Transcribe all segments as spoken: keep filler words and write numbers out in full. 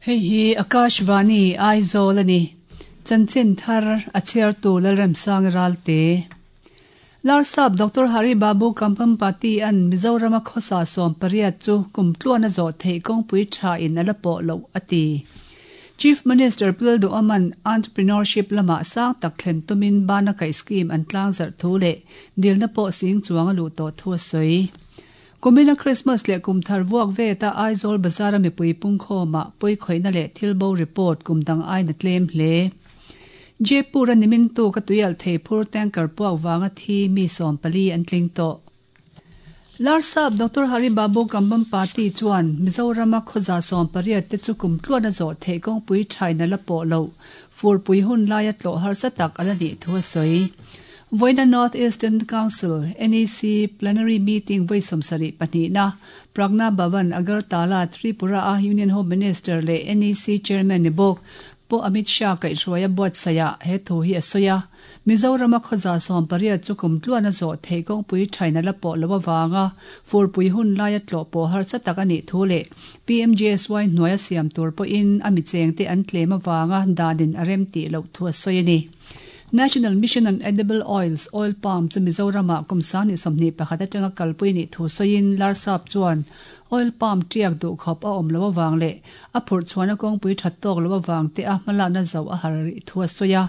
Hei hi Akashvani Aizawl ani. Chanchin thar a chhiartu Lalremsang Ralte. Larsap Doctor Hari Babu Kambhampati an Mizorama khawsa sawm pariat chu kum tluan a zawh theih kawngpui tha in a la pawh loh a ti. Chief Minister Pu Aman entrepreneurship lama sang tak thlen tumin bana kai scheme an tlang zar thu le dilna pawh sing chuang a lu to thu a sawi. Kumina Christmas le kum thar vuak ve ta Aizawl Bazar mi pui pung khoma pui khoina le thilbo report kum dang ai na tlem hle. Jaipur animin tu ka tuial thei phur tanker puak wanga thi mi som pali an tling to. Larsap Doctor Hari Babu Kambhampati chuan Mizorama khoza som pariat te chu kum tluan a zo thei kawng pui thaina la pawh lo fur pui hun laia tlo har sa tak ala ni thu a sawi. Voina North Eastern Council N E C plenary meeting voi somsari pahnih na Pragna Bhavan Agartala Tripura a Union Home Minister le N E C Chairman ni bawk Po Amit Shah kai hruaia buat saya he thu hi a sawi a. Mizorama khoza som pariat chu kum tluan a zawh thei kawngpui thaina la pawh lo awanga furpui hun laia tlawh pawh harsa tak a nih thu leh P M G S Y hnuaia siam tur pawhin a mi cheng te an tlem awanga danin a rem tih loh thu a sawi a ni. National Mission on Edible Oils Oil Palm chu Mizorama kumsang ni sawmhnih pakhat atanga kalpui ni thu sawiin Larsap chuan oil palm tiak duh khawp a awm lo awang leh a phurh chhuahna kawngpui that tawk lo awang te a hmalakna zo a har ri thu a sawi a.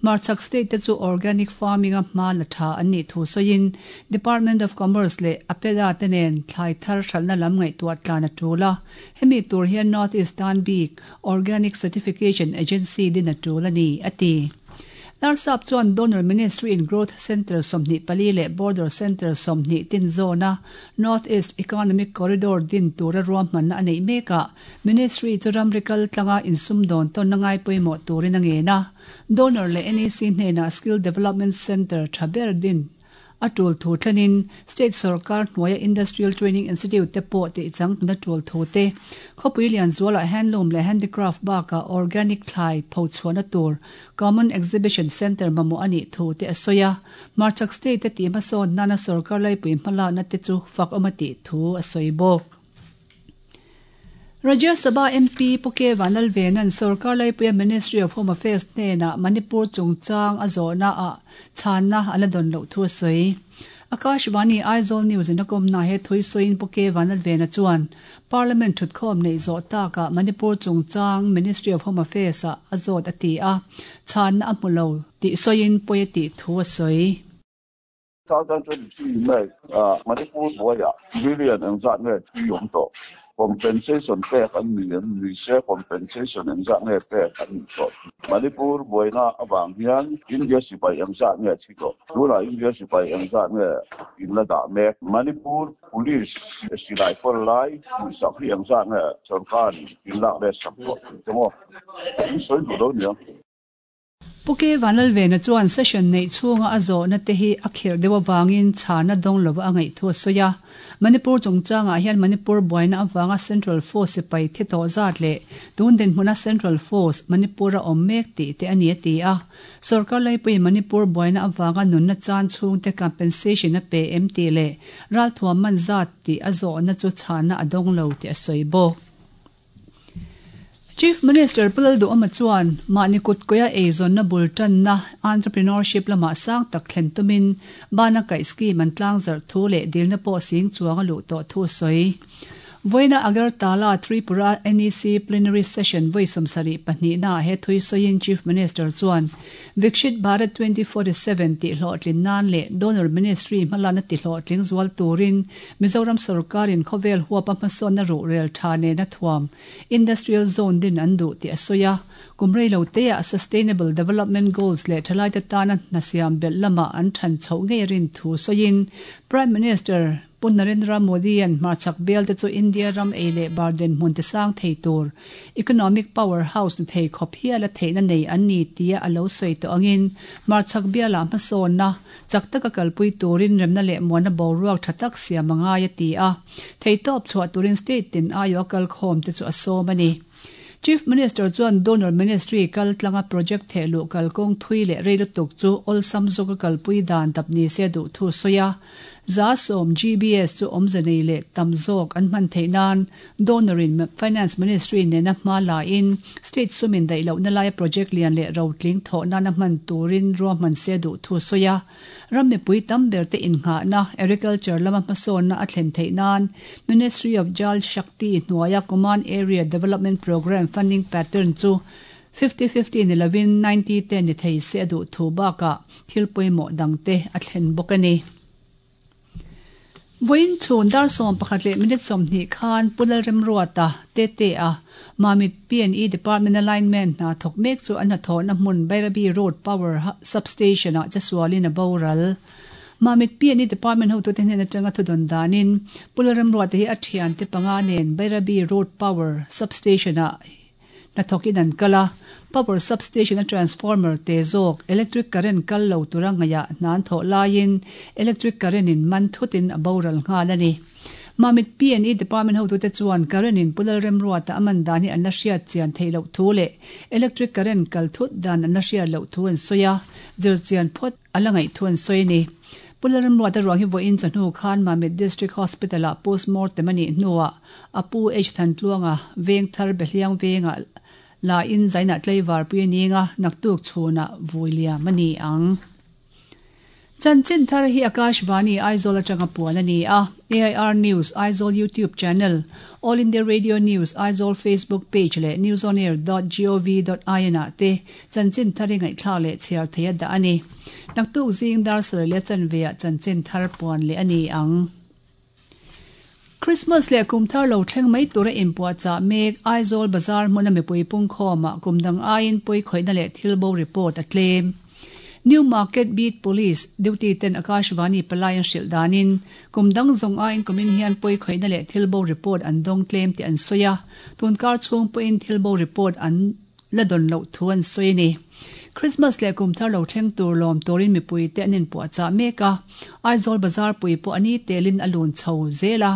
Marchak state te chu organic farming a hma la tha an nih thu sawiin Department of Commerce leh APEDA te nen thlai thar hralhna lam ngaihtuah tlan a tul a. Hemi tur hian North Eastern Bik Organic Certification Agency din a tul a ni a ti. Larsap chuan Donor Ministry in Growth Center sawmhnih pali leh Border Center sawmhnih tin zona North East Economic Corridor din tura ruahmanna a neih mekah Ministry chu ramrikal tlanga insum dawn tawn na ngai pawimawh turin a ngen a. Donor leh N E C hnenah Skill Development Center tha ber din a tul thu thlenin State Sarkar hnuaia Industrial Training Institute te pawh tih chang na tul thu te khawpui lian zuala handloom leh handicraft baka organic thlai pho chhuahna tur Common Exhibition Center mamawh a nih thu te a sawi a. Marchak State te tih hmasawn nana sarkar laipui hmalakna te chu fak awm a tih thu a sawi bawk. Rajya Sabha M P Puke Vanlalvenan Sarkar laipuia Ministry of Home Affairs hnenah Manipur chungchang a zawhna a chhanna a la dawn loh thu a sawi. Akashvani Aizawl News in a kawmna he thui sawiin Puke Vanlalvena chuan Parliament thutkhawm nei zawh takah Manipur chungchang Ministry of Home Affairs a a zawt a ti a. Chhanna a hmu lo tih sawiin pawi a tih thu a sawi. twenty twenty-three May Manipur buaia billion engzat nge tui awm tawh compensation pek an ni an ni se compensation engzat nge pek an ni tawh Manipur buaina awang hian India sipai engzat nge thi tawh tuna India sipai engzat nge in la dah mek Manipur police silai pawr lai sak hi engzat nge sarkar in lak le sak tawh chemaw in sawi duh lo nia. Puke Vanlalvena chuan session nei chhunga a zawhna te hi a khirh deuh awangin chhana dawng lo a ngaih thu a sawi a. Manipur chungchangah hian Manipur buaina awanga Central Force sipai thi tawh zat leh tun dinhmuna Central Force Manipur a awm mek tih te a ni a ti a. Sarkar laipui Manipur buaina awanga nunna chan chhung te compensation a pe em tih leh ralthuam man zat tih a zawhna chu chhana a dawng lo tih a sawi bawk. Chief Minister Pu Lalduhoma chuan mahni kut koia eizawnna bul tanna entrepreneurship lama sang tak thlen tumin bana kai scheme an tlang zar thu leh dilna pawh sing chuang a luh tawh thu a sawi. Voina Agartala Tripura N E C plenary session voi sawmsarih pahnih na he thui sawiin Chief Minister chuan Viksit Bharat twenty forty-seven tih hlawhtlin nan leh Donor Ministry hmalakna ti hlawhtling zual turin Mizoram sarkarin khawvel huapa hmasawnna ruh rel tha nena thuam Industrial Zone din an duh tih a sawi a. Kumrei lo te a Sustainable Development Goals leh thalai te tana hnasiam belh lama an than chhoh ngei rin thu sawiin Prime Minister Pu Narendra Modi an hmarchak bel te chu India ram ei leh barden hmun te sang thei tur economic powerhouse ni thei khawp hial a theihna nei an ni tia a lo sawi tawh angin hmarchak biala hmasawn na chak taka kalpui turin remna leh muana boruak tha tak siam angai a ti a. Thei tawp chhuah turin state tin aio kal khawm te chu a sawm a ni. Chief Minister chuan Donor Ministry kal tlanga project thehluh kalkawng thui leh rei lutuk chu awlsam zawka kalpui dan dap ni se duh thu sawi a. Za sawm G B S chu awmze nei leh tam zawk an hman theih nan donor in Finance Ministry nena hma la in state sumin daih lohna laia project lian leh rotling thawh nana hman turin ruahman se duh thu sawi a. Ram mipui tam ber te innghahna agriculture lama hmasawnna a thlen theih nan Ministry of Jal Shakti hnuaia Command Area Development Program funding pattern chu fifty fifty ni lovin ninety ten ni thei se a duh thu bakah thil pawimawh dangte a thlen bawk a ni. Voin chhun dar sawm pakhat leh minute sawmhnih khan Pulal Remruata te te a Mamit P and E Department Alignment hna thawk mek chu an hnathawhna hmun Bairabi Road Power Substation ah chasualin a boral. Mamit P and E Department hotute hnen atanga thudawn danin Pulal Remruata hi a thian te panga nen Bairabi Road Power Substation ah hnathawkin an kal a. Power substation a transformer te zawk electric current kal lo tura ngaia hnan thawh laiin electric current in man thutin a boral nghal a ni. Mamit P and E Department hotute chuan current in Pulal Remruata aman dan hi an la hriat chian thei loh thu leh electric current kal thut dan an la hriat loh thu an sawi a, zir chian phawt a la ngaih thu an sawi a ni. Pulal Remruata ruang hi vawiin chawhnu khan Mamit District Hospital ah postmortem a nih hnuah a pu H Thantluanga veng thar Behliang venga la in zaina tlaivar pui ninga naktuk chhuna vuiliam a ni ang. Chanchin thar hi Akashvani Aizawl atanga puan a ni a. A I R News Aizawl YouTube channel, All India Radio News Aizawl Facebook page leh newsonair dot gov dot in ah te chanchin thar hi ngaihthla leh chhiar thei a dah a ni. Naktuk zing dar sarih leh chanveah chanchin thar puan leh a ni ang. Christmas leh kum thar lo thleng mai tura inpuah chah mek Aizawl Bazar hmuna mipui pungkhawmah kumdang aiin pawi khawihna leh thil bo report a tlem. New Market Beat Police duty ten Akashvani palai an hrilh danin kumdang zawng aiin kumin hian pawi khawihna leh thil bo report an dawng tlem tih an sawi a. Tunkar chhung pawhin thil bo report an la dawn loh thu an sawi a ni. Christmas leh kum thar lo thleng tur lawm turin mipui te an inpuah chah mek a. Aizawl Bazar pui pawh ani telin a lun chho zel a.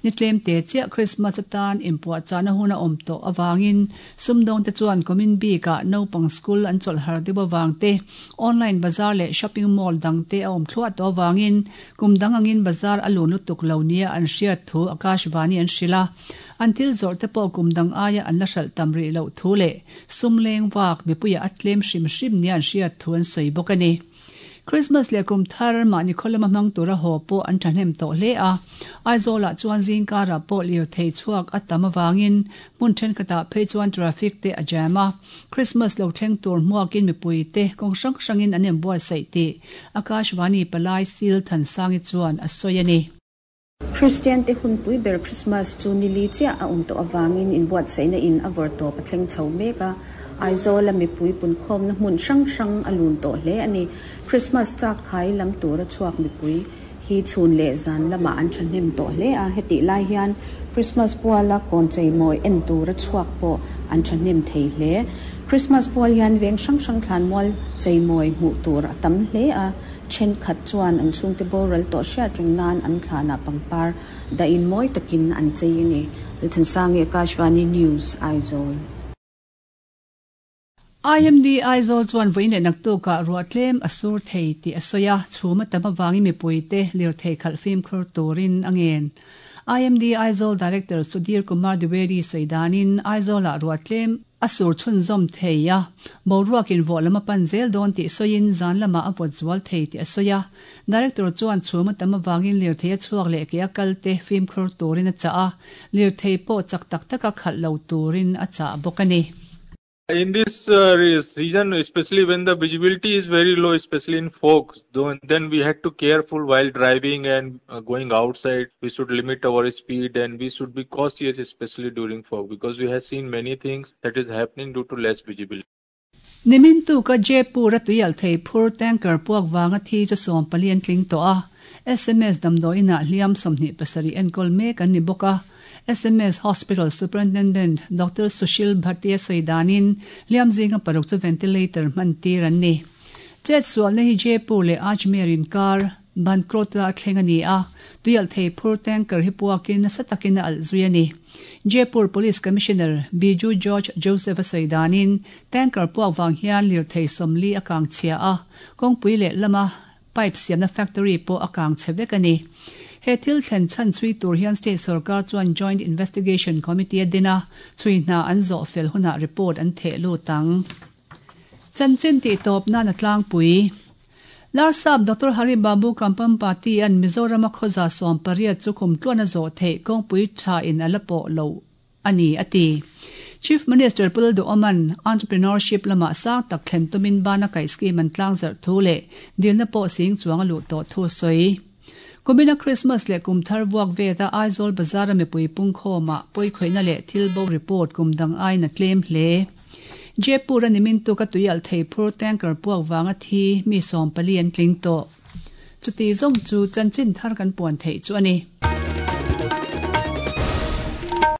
Ni tlem te chiah Christmas atan inpuah chahna hun a awm tawh awangin sumdawng te chuan kumin bikah naupang school an chawlh har deuh awang te online bazar leh shopping mall dang te a awm thluah tawh awangin kum dang angin bazar a lun lutuk lo nia an hriat thu Akashvani an hrilh a. An thil zawrh te pawh kum dang aia an la hralh tam rih loh thu leh sumleng vak mipuia a tlem hrim hrim nia an hriat thu an sawi bawk a ni. Christmas leh kum thar mahni khawlama hmang tura haw pawh an thahnem tawh hle a. Aizawlah chuan zingkarah pawh lir thei chhuak a tam awangin hmun thenkhatah phei chuan traffic te a jam a. Christmas lo thleng tur hmuakin mipui te kawng hrang hrangin an inbuatsaih tih Akashvani palai Sil Thansangi chuan a sawi a ni. Christian te hun pui ber Christmas chu nili chia a um to awangin inbuatsaihna in a vawr tawp a thleng chho mek a. Aizawl a mipui punkhawm na hmun hrang hrang a lun tawh hle a ni. Christmas chak khai lam tura chhuak mipui hi chhun leh zan lama an thahnem tawh hle a. Heti lai hian Christmas puala kawn cheimawi en tura chhuak pawh an thahnem thei hle. Christmas pual hian veng hrang hrang thlan mual cheimawi hmuh tur a tam hle a. Then khat chuan an chhungte boral tawh hriat ring nan an thlana pangpar da in mawi takin an chei a ni. Lalthansangi Akashvani News Aizawl. I M D Aizawl chuan vawiin leh naktukah ruah tlem a sur thei tih a sawi a. Chhuma tam awangin mipui te lir thei khalh fimkhur turin a ngen. I M D Aizawl Director Sudhir Kumar Dwivedi sawi danin Aizawlah ruah tlem a sur chhunzawm thei a. Boruakin vawh lama pan zel dawn tih sawiin zan lama a vawt zual thei tih a sawi a. Director chuan chhuma tam awangin lir thei a chhuak leh ke a kal te fimkhur turin a chah a. Lir thei pawh chak tak taka khalh lo turin a chah bawk a ni. In this uh, season, especially when the visibility is very low, especially in fog, then we had to careful while driving and uh, going outside. We should limit our speed and we should be cautious, especially during fog, because we have seen many things that is happening due to less visibility. Nimin tu ka Jaipur a tuial thei phur tanker puak wanga thi chu sawm palian tling to a. S M S damdawiin ah hliam sawmhnih pasarih enkawl mek an ni bawk a. S M S Hospital Superintendent Doctor Sushil Bhatia sawi danin hliam zinga paruk chu ventilator hman tir an ni. Chet sualna hi Jaipur leh Ajmer in kar Bankrota a thleng a ni a. Tuial thei phur tanker hi puakin nasa takin a alh zui a ni. Jaipur Police Commissioner Biju George Joseph a sawi danin tanker puak wang hian lir thei sawmli a kang chhia a. Kawngpui leh lama Pipe siamna factory pawh a kang chhe vek a ni. He thil thlen chhan chhui tur hian state sorkar chuan Joint Investigation Committee a din a, chhui hna an zawh fel hunah report an theh lut ang. Chanchin tihtawp nan a tlangpui. Larsap Doctor Hari Babu Kampampati an Mizoram a khawza sawm pariat chu kum tluan a zawh theih kawngpui tha in a la pawh lo a ni a ti. Chief Minister Pu Lalduhoma'n Entrepreneurship lamah sang tak thlen tumin bana kaih scheme an tlangzarh thu leh dilna pawh sing chuang a luh tawh thu a sawi. Kumina Christmas leh kum thar vuak veta Aizawl Bazar a mipui pungkhawmah pawikhawihna leh thil bo report kum dang aiin a tlem hle. Jaipur a nimin tuk a tuialh thei phur tanker puak vanga thi mi sawm pali an tling tawh. Chuti zawng chu chanchin thar kan puan theih chu a ni.